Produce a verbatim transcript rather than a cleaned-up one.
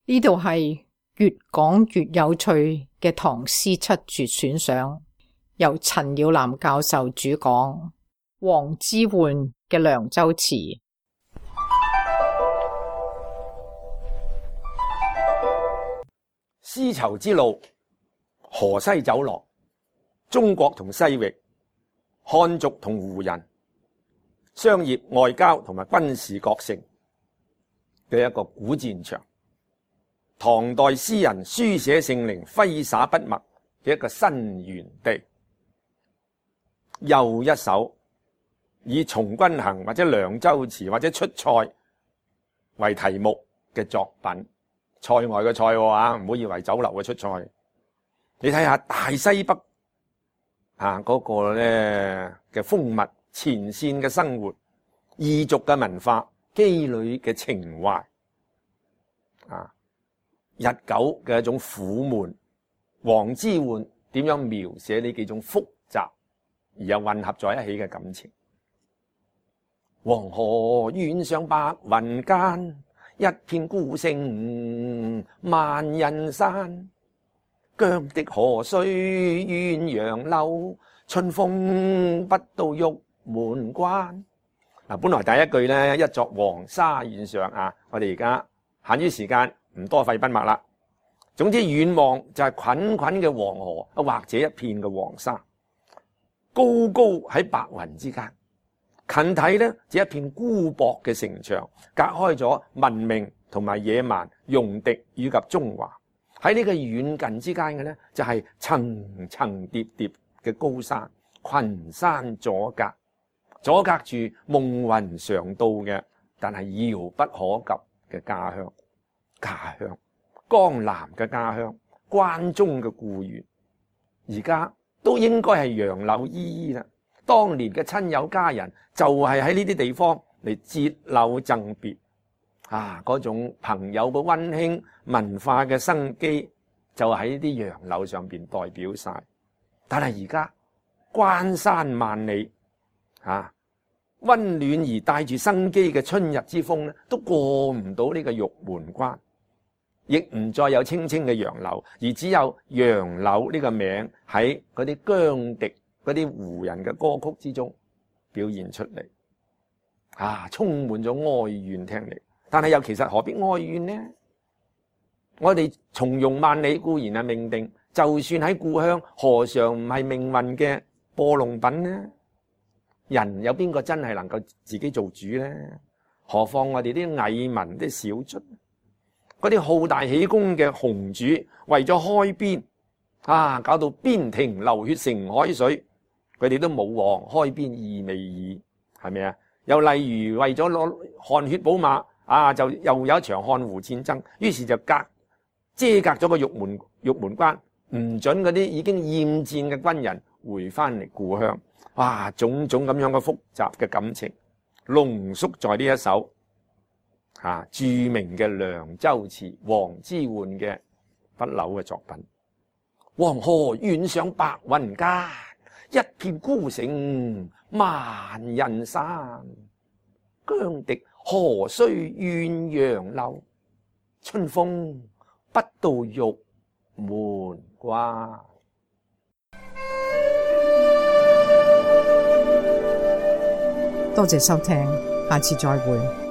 呢度係越講越有趣嘅唐詩七絕選賞，由陳耀南教授主講，王之渙嘅涼州詞。絲綢之路，河西走廊，中國同西域，漢族同胡人，商業、外交同埋軍事各城嘅一個古戰場。唐代詩人書寫性靈、揮灑筆墨嘅一個新園地。又一首以從軍行或者涼州詞或者出塞為題目嘅作品。塞外嘅塞啊，唔好以為酒樓嘅出塞。你睇下大西北啊嗰個咧嘅風物、前線嘅生活、異族嘅文化、羈旅嘅情懷啊，日久嘅一種苦悶。王之渙點樣描寫呢幾種複雜而又混合在一起嘅感情？黃河遠上白雲間，一片孤城萬仞山。羌笛何須怨楊柳，春風不到玉門關。嗱，本來第一句咧，一作黃沙遠上啊，我哋而家限於時間唔多費筆墨啦。總之遠望就係滾滾嘅黃河，或者一片嘅黃沙，高高喺白雲之間。近睇咧，就一片孤薄嘅城牆，隔開咗文明同埋野蠻、戎狄以及中華。喺呢個遠近之間嘅咧，就係層層疊疊嘅高山，群山阻隔，阻隔住夢魂常到嘅，但係遙不可及嘅家鄉。家鄉，江南嘅家鄉，關中嘅故園，而家都應該係楊柳依依啦。當年嘅親友家人就係喺呢啲地方嚟折柳贈別啊！嗰種朋友嘅溫馨、文化嘅生機，就喺呢啲楊柳上邊代表晒。但係而家關山萬里啊，溫暖而帶住生機嘅春日之風咧，都過唔到呢個玉門關，亦唔再有青青嘅楊柳，而只有楊柳呢個名喺嗰啲羌笛、嗰啲胡人嘅歌曲之中表現出嚟，啊，充滿咗哀怨聽嚟。但係又其實何必哀怨呢？我哋從容萬里固然係命定，就算喺故鄉，何嘗唔係命運嘅播弄品呢？人有邊個真係能夠自己做主呢？何況我哋啲蟻民、啲小卒，嗰啲好大喜功嘅雄主，為咗開邊啊，搞到邊庭流血成海水，佢哋都冇王開邊意味矣，係咪啊？又例如為咗攞汗血寶馬啊，就又有一場漢胡戰爭，於是就隔遮隔咗個玉門玉門關，唔准嗰啲已經厭戰嘅軍人回翻嚟故鄉。哇，種種咁樣嘅複雜嘅感情，濃縮在呢一首啊著名嘅涼州詞，王之渙嘅不朽嘅作品。黃河遠上白雲間，一片孤城萬仞山。羌笛何須怨楊柳，春風不到玉門關。多謝收聽，下次再會。